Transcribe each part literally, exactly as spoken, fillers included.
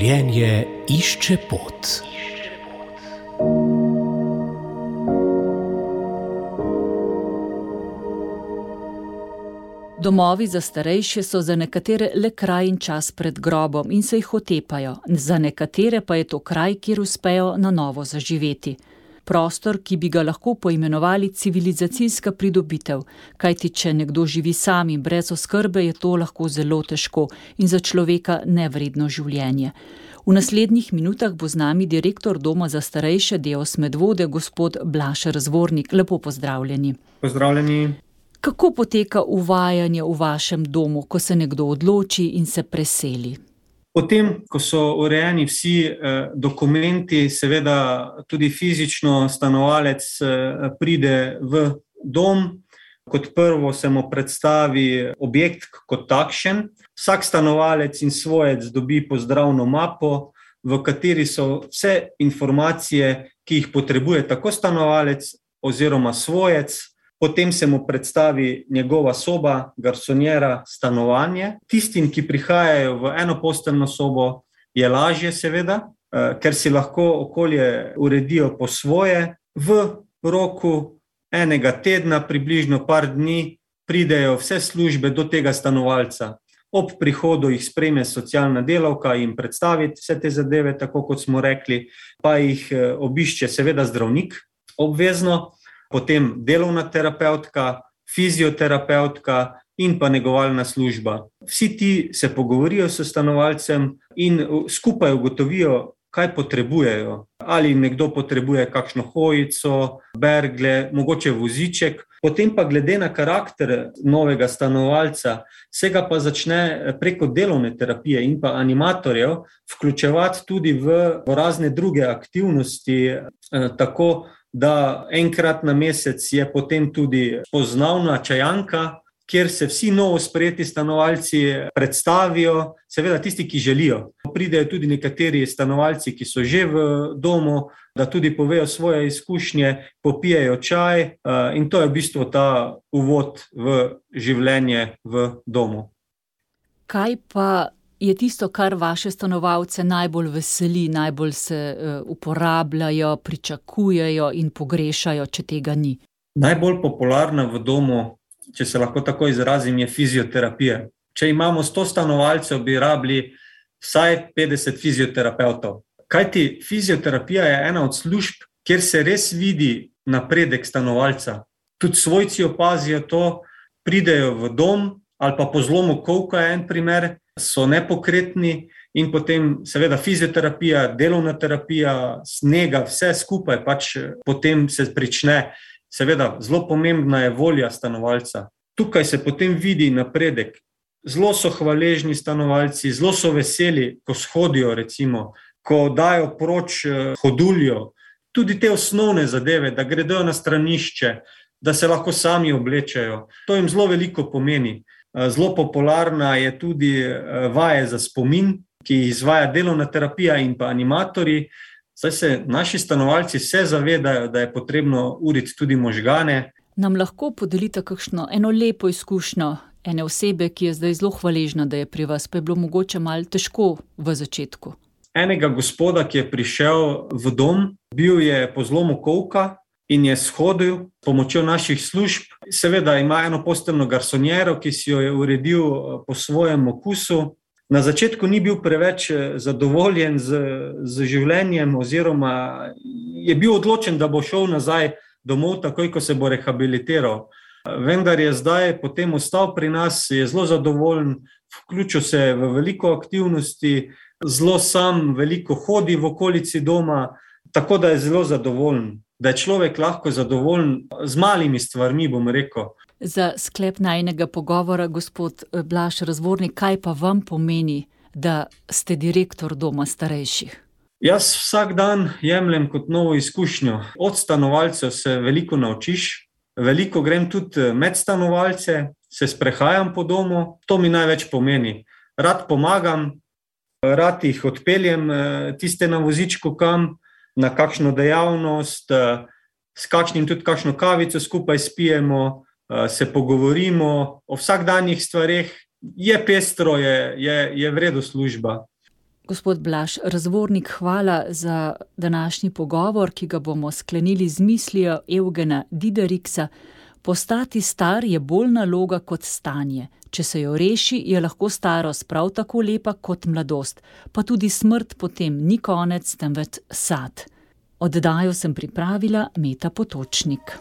Življenje išče pot. Domovi za starejše so za nekatere le kraj in čas pred grobom in se jih otepajo, za nekatere pa je to kraj, kjer uspejo na novo zaživeti. Prostor, ki bi ga lahko poimenovali civilizacijska pridobitev, kajti če nekdo živi sam in brez oskrbe, je to lahko zelo težko in za človeka nevredno življenje. V naslednjih minutah bo z nami direktor Doma za starejše Deos Medvode, gospod Blaž Razvornik. Lepo pozdravljeni. Pozdravljeni. Kako poteka uvajanje v vašem domu, ko se nekdo odloči in se preseli? Potem, ko so urejeni vsi eh, dokumenti, seveda tudi fizično stanovalec eh, pride v dom. Kot prvo se mu predstavi objekt kot takšen. Vsak stanovalec in svojec dobi pozdravno mapo, v kateri so vse informacije, ki jih potrebuje tako stanovalec oziroma svojec. Potem se mu predstavi njegova soba, garsonjera, stanovanje. Tistim, ki prihajajo v enoposteljno sobo, je lažje seveda, ker si lahko okolje uredijo po svoje. V roku enega tedna, približno par dni, pridejo vse službe do tega stanovalca. Ob prihodu jih sprejme socialna delavka in predstavi vse te zadeve, tako kot smo rekli, pa jih obišče seveda zdravnik obvezno. Potem delovna terapevtka, fizioterapevtka in pa negovalna služba. Vsi ti se pogovorijo s stanovalcem in skupaj ugotovijo, kaj potrebujejo. Ali nekdo potrebuje kakšno hojico, bergle, mogoče voziček. Potem pa glede na karakter novega stanovalca se ga pa začne preko delovne terapije in pa animatorjev vključevati tudi v razne druge aktivnosti, tako da enkrat na mesec je potem tudi spoznavna čajanka, kjer se vsi novo sprejeti stanovalci predstavijo, seveda tisti, ki želijo. Pridejo tudi nekateri stanovalci, ki so že v domu, da tudi povejo svoje izkušnje, popijejo čaj in to je v bistvu ta uvod v življenje v domu. Kaj pa je tisto, kar vaše stanovalce najbolj veseli, najbolj se uporabljajo, pričakujejo in pogrešajo, če tega ni? Najbolj popularna v domu, če se lahko tako izrazim, je fizioterapija. Če imamo sto stanovalcev, bi rabili vsaj petdeset fizioterapevtov. Kajti fizioterapija je ena od služb, kjer se res vidi napredek stanovalca. Tudi svojci opazijo to, pridejo v dom ali pa po zlomu kolka je en primer, so nepokretni in potem seveda fizioterapija, delovna terapija, snega, vse skupaj pač potem se prične. Seveda, zelo pomembna je volja stanovalca. Tukaj se potem vidi napredek. Zelo so hvaležni stanovalci, zelo so veseli, ko shodijo recimo, ko dajo proč hoduljo. Tudi te osnovne zadeve, da gredo na stranišče, da se lahko sami oblečajo. To jim zelo veliko pomeni. Zelo popularna je tudi vaje za spomin, ki jih izvaja delovna terapija in pa animatorji. Zdaj se naši stanovalci vse zavedajo, da je potrebno uriti tudi možgane. Nam lahko podelite kakšno eno lepo izkušnjo ene osebe, ki je zdaj zelo hvaležna, da je pri vas, pa je bilo mogoče malo težko v začetku? Enega gospoda, ki je prišel v dom, bil je po zlomu kolka in je shodil s pomočjo naših služb. Seveda ima eno posteljno garsonjero, ki si jo je uredil po svojem okusu. Na začetku ni bil preveč zadovoljen z, z življenjem oziroma je bil odločen, da bo šel nazaj domov, takoj ko se bo rehabilitiral. Vendar je zdaj potem ostal pri nas, je zelo zadovoljen, vključil se v veliko aktivnosti, zelo sam, veliko hodi v okolici doma, tako da je zelo zadovoljen. Da je človek lahko zadovoljen z malimi stvarmi, bom rekel. Za sklep najinega pogovora, gospod Blaž Razvornik, kaj pa vam pomeni, da ste direktor Doma starejših? Jaz vsak dan jemljem kot novo izkušnjo. Od stanovalcev se veliko naučiš, veliko grem tudi med stanovalce, se sprehajam po domu, to mi največ pomeni. Rad pomagam, rad jih odpeljem tiste na vozičku kam, na kakšno dejavnost, s kakšnim tudi kakšno kavico skupaj spijemo, se pogovorimo o vsakdanjih stvareh. Je pestro, je, je, je v redu služba. Gospod Blaž Razvornik, hvala za današnji pogovor, ki ga bomo sklenili z mislijo Evgena Dideriksa. Postati star je bolj naloga kot stanje. Če se jo reši, je lahko starost prav tako lepa kot mladost, pa tudi smrt potem ni konec, temveč sad. Oddajo sem pripravila Meta Potočnik.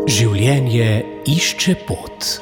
Življenje išče pot.